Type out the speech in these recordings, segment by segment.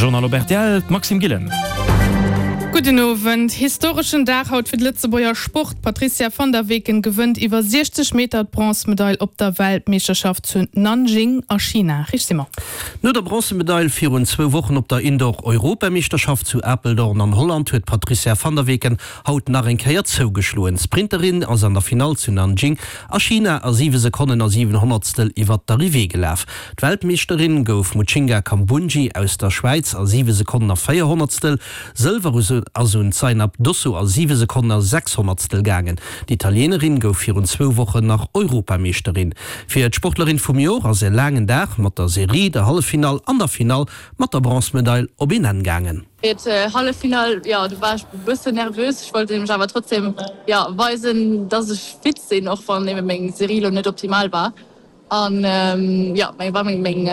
Journal op rtl, d'Maxime Gillen. Gudden Owend. Historeschen Dag haut fir de Lëtzebuerger Sport. D'Patrizia van der Weken gewënnt iwwer 60 Meter d'Bronzemedail op der Weltmeeschterschaft zu Nanjing a China. Rich Simon. No der Bronzemedail virun zwou Wochen op der Indoor-Europameeschterschaft zu Apeldoorn an Holland huet d'Patrizia van der Weken haut nach eng Kéier zougeschloen. D'Sprinterin ass an der Finall zu Nanjing a China a 7 Sekonnen a 7 Honnertstel iwwert d'Arrivée gelaf. D'Weltmeeschterin gouf Mujinga Kambundji aus der Schwäiz a 7 Sekonnen a 4 Honnertstel. Sëlwer ass un d'Zainab Dosso a 7 Sekonnen a 6 Honnertstel gaangen. D'Italienerin gouf virun zwou Wochen nach Europameeschterin. Fir d'Sportlerin vum Jor ass e laangen Dag mat der Serie, der Halleffinall an der Finall mat der Bronzemedail op een Enn gaangen. Fir d'Halleffinall, jo, do war ech e bëssen nervös. Ech wollt nämlech awer trotzdem, jo, weisen, dass ech fit sinn, och wann eben meng Serie lo net optimal war. An jo, meng war meng meng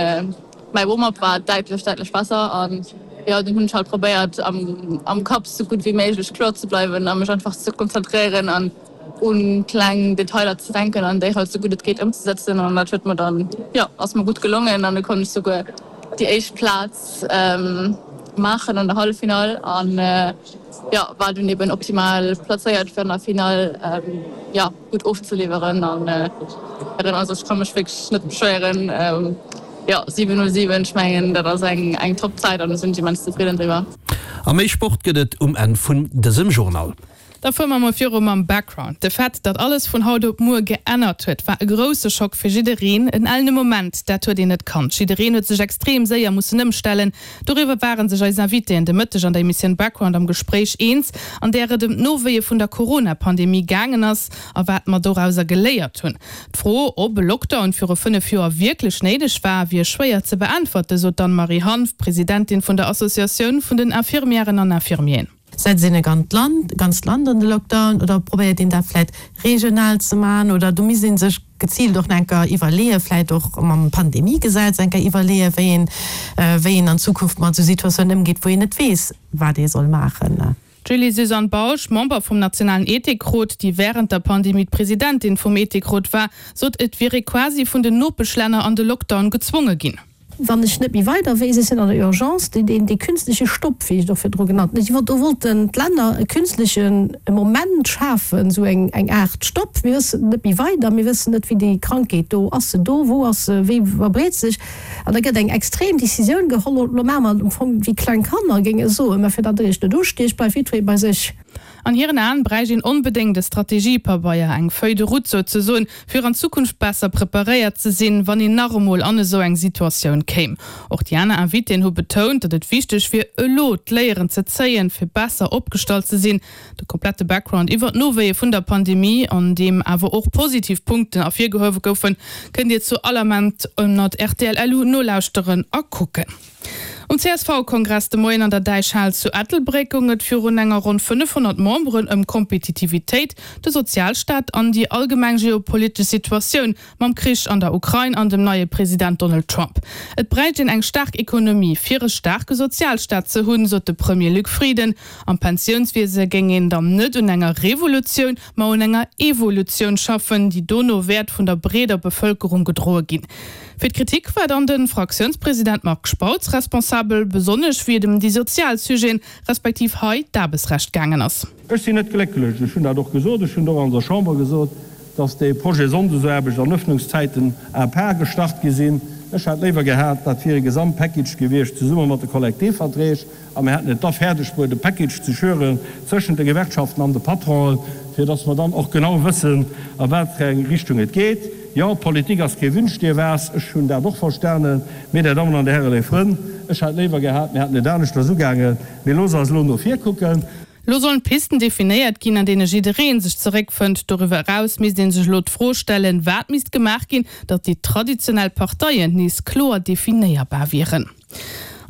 mäi Warm-up war däitlech däitlech besser an jo, dunn hunn ech halt probéiert am am Kapp sou gutt wéi méiglech kloer ze bleiwen a mech einfach ze konzentréieren an un kleng Detailer ze denken an déi halt sou gutt et geet ëmzesetzen an dat huet mer dann, jo, ass mer gutt gelongen an du konnt ech souguer déi éischt Plaz maachen an der Halleffinall an jo, war dunn eben optimal plazéiert fir an der Finall, jo. gutt ofzeliwweren an also ech ka mech wierklech net beschwéieren. Jo 7:07, ech mengen dat ass eng eng top Zäit an do sinn ech immens zefridden driwwer. A méi Sport gëtt et um Enn vun dësem Journal. Da fuere mer mol viru mam Background. De Fait, datt alles vun haut op muer geännert huet, war e grousse Schock fir jiddereen. En ellene Moment, dat huet een net kannt. Jiddereen huet sech extrem séier mussen ëmstellen. Doriwwer ware sech eis Invitéen de Mëtteg an der Emissioun Background am Gespréich eens, an där et ëm d'Nowéie vun der Corona-Pandemie gaangen ass a wat mer dorauser geléiert hunn. D'Fro, ob e Lockdown viru 5 Joer wierklech néideg war, wier schwéier ze beäntwerte, sot d'Anne-Marie Hanff, Presidentin vun der Associatioun vun den Infirmièren an Infirmieren. Setzt een e ganzt Land an de Lockdown oder probéiert een dat vläit regional ze maachen? Oder do misst ee sech geziilt och nach eng Kéier iwwerleeën, vläit och mam Pandemiegesetz eng Kéier iwwerleeën, wéi een, wéi een an Zukunft mat esou Situatiounen ëmgeet, wou een net weess, wat ee soll maachen. D'Julie-Suzanne Bausch, Member vum nationalen Ethikrot, déi wärend der Pandemie d'Presidentin vum Ethikrot war, sot, et wier ee quasi vun den Nopeschlänner an de Lockdown gezwonge ginn. Wann ech net méi weider weess, ech sinn an der Urgence, deen, deen, dee künstleche Stopp, wéi ech et och virdru genannt hunn, do wollten d'Länner e künstleche Moment schafen, esou eng, eng Aart Stopp, mir wëssen net méi weider, mir wëssen net, wéi déi Krankheet do, ass se do, wou ass se, wéi verbreet sech, an da gëtt eng extrem Décisioun geholl, elo maache mer am Fong wéi kleng Kanner géinge soen, mä fir datt Der Iech net ustiecht, bleift jiddweree bei sech. An hiren Aen bräicht een onbedéngt e Strategiepabeier, eng Feuille de route souzesoen, fir an Zukunft besser preparéiert ze sinn, wann een nach emol an esou eng Situatioun kéim. Och déi aner Invitéen hu betount, datt et wichteg wier, elo d'Léieren ze zéien, fir besser opgestallt ze sinn. De komplette Background iwwer d'Nowéie vun der Pandemie, an deem awer och positiv Punkten ervirgehuewe goufen, kënnt Dir zu all Ament ënnert rtl.lu nolauschteren a kucken. Um CSV-Kongress de Moien an der Däichhal zu Ettelbréck goung et virun enger ronn 500 Memberen ëm Kompetitivitéit, de Sozialstaat an déi allgemeng geopolitesch Situatioun mam Krich an der Ukrain an dem neie President Donald Trump. Et bräicht een eng staark Ekonomie, fir e staarke Sozialstaat ze hunn, sot de Premier Luc Frieden. Am Pensiounswiese géing een dann net un enger Revolutioun, ma un enger Evolutioun schaffen, déi dono wäert vun der breeder Bevëlkerung gedroe ginn. Fir d'Kritik war dann de Fraktiounspresident Marc Spautz responsabel, besonnesch wéi et ëm déi sozial Sujeten, respektiv hei d'Aarbechtsrecht gaangen ass. Ech sinn net glécklech, ech hunn dat och gesot, ech hunn et och an der Chamber gesot, dass dee Projet Sonndesaarbecht an Öffnungszäiten à part gestart gi sinn. Ech hätt léiwer gehat, dat wier e Gesamtpackage gewiescht zesumme mat de Kollektivverträg. A mir hätten et da fäerdeg bruet, e Package ze schüren zwëschent de Gewerkschaften an de Patronen, fir dass mer dann och genau wëssen, a wat fir eng Richtung et geet. Jo, Politik ass kee Wünsch-dir-was, ech hunn dat och verstanen. Mee, Dir Dammen an Dir Hären, léif Frënn, ech hätt léiwer gehat, mir hätten et aneschters ugaangen. Mee looss eis elo no vir kucken. Elo sollen Pisten definéiert ginn, an deene jidderee sech zeréckfënnt. Doriwwer eraus misst ee sech elo d'Fro stellen, wat misst gemaach ginn, datt déi traditionell Parteien nees kloer definéierbar wieren.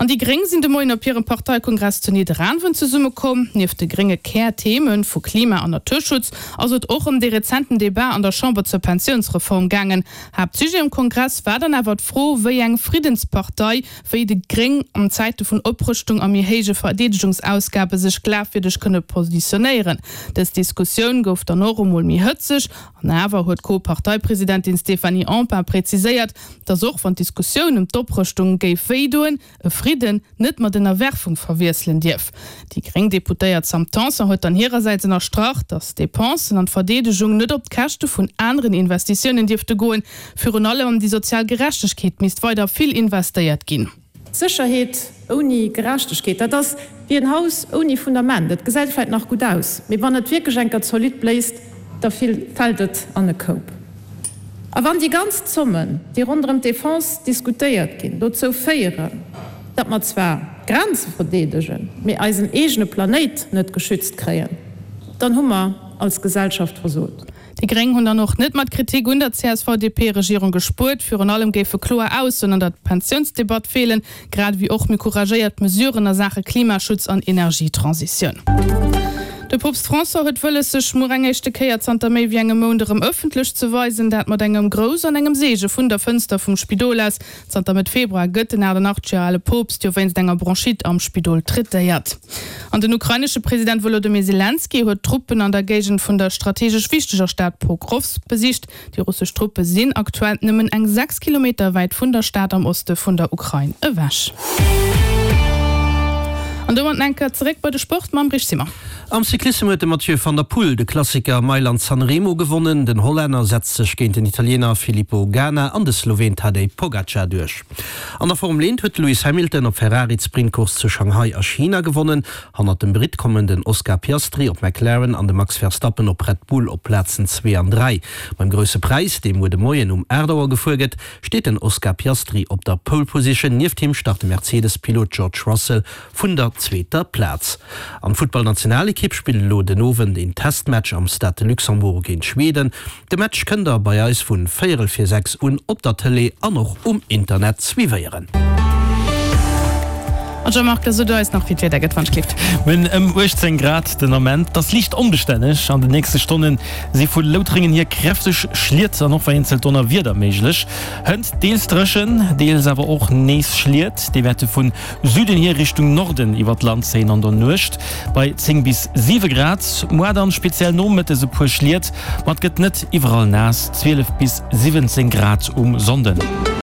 An déi Gréng sinn de Moien op hirem Parteikongress zu Nidderaanwen zesummekomm. Nieft de grénge Kär-Theme vu Klima an Naturschutz ass et och ëm dee rezenten Debat an der Chamber zur Pensiounsreform gaangen. Haaptsujet um Kongress war dann awer d'Fro, wéi eng Friddenspartei wéi déi Gréng an Zäite vun Oprëschtung a méi héije Verdeedegungsausgabe sech glafwierdeg kënne positionéieren. Dës Diskussioun gouf dann och emol méi hëtzeg. An awer huet d'Co-Parteipresidentin Stéphanie Empain präziséiert, datt och wann d'Diskussioun ëm d'Oprëschtung géif wéi doen, e Fridden. Fridden net mat Ënnerwerfung verwiesselen dierf. Déi gréng Deputéiert Sam Tanson huet dann hirersäits ënnerstrach, datt d'Depensen an d'Verdeedegung net op d'Käschte vun aneren Investitiounen dierfte goen. Virun allem an déi sozial Gerechtegkeet misst weider vill investéiert ginn. Sécherheet ouni Gerechtegkeet, dat ass wéi en Haus ouni Fundament. Et gesäit vläit nach gutt aus, mee wann et wierklech eng Kéier zolidd bléist, da fält et an e Koup. A wann déi ganz Zommen, déi ronderëm d'Defense diskutéiert ginn, dozou féieren, datt mer zwar d'Grenze verdeedegen, mee eisen eegene Planéit net geschützt kréien, dann hu mer als Gesellschaft versot. Déi Gréng hunn dann och net mat Kritik un der CSV-DP-Regierung gespuert. Virun allem géife kloer Aussoen an der Pensiounsdebatt feelen, grad ewéi och méi couragéiert Mesuren a Saache Klimaschutz an Energietransitioun. De Poopst François huet wëlles, sech muer eng éischte Kéier zanter méi wéi engem Mount erëm ëffentlech ze weisen. Dat mat engem Grouss an engem Seege vun der Fënster vum Spidol aus. Zanter Mëtt Februar gëtt den 88 Joer ale Poopst jo wéinst enger Bronchite am Spidol traitéiert. An den ukrainesche President Wolodymyr Selenskyj huet d'Truppen an der Géigend vun der strategesch wichteger Stad Pokrowsk besicht. Déi russesch Truppe sinn aktuell nëmmen eng 6 Kilometer wäit vun der Stad am Oste vun der Ukrain ewech. An domat enker zeréck bei de Sport mam Rich Simmer. Am Cyclissem huet de Mathieu van der Poel de Klassiker Mailand-San Remo gewonnen. Den Hollänner setzt sech géint den Italiener Filippo Ganna an de Sloween Tadej Pogacar duerch. An der Formel 1 huet de Lewis Hamilton op Ferrari d'Sprintcourse zu Shanghai a China gewonnen. Hannert dem Britt kommen den Oscar Piastri op McLaren an de Max Verstappen op Red Bull op Plazen 2 an 3. Beim Grousse Präis, dee muer de Moien um 8 Auer gefuer gëtt, steet den Oscar Piastri op der Pole Position. Nieft him start de Mercedes-Pilot George Russell vun der zweeter Plaz. An d'Futtballnationalekipp spillt elo den Owend een Testmatch am Stade de Luxembourg géint Schweden. De Match kënnt der bei eis vun véierel vir 6 un op der Tëlee an och um Internet suivéieren. An Jean-Marc, da so du eis nach wéi d'Wieder gëtt, wann et klifft. Mir hunn ëm 18 Grad den Ament. Et ass liicht onbestänneg. An den nächste Stonne si vu Loutrengen hier kräfteg Schliet an och vereenzelt Donnerwieder méiglech. Hënt deels dréchen, deels awer och nees Schliet. Déi wäerte vun Süden hier Richtung Norden iwwer d'Land zéien an der Nuecht bei 10 bis 7 Grad. Moar dann speziell nomëttes e puer Schliet, ma et gëtt net iwwerall naass, 12 bis 17 Grad um Sonnden.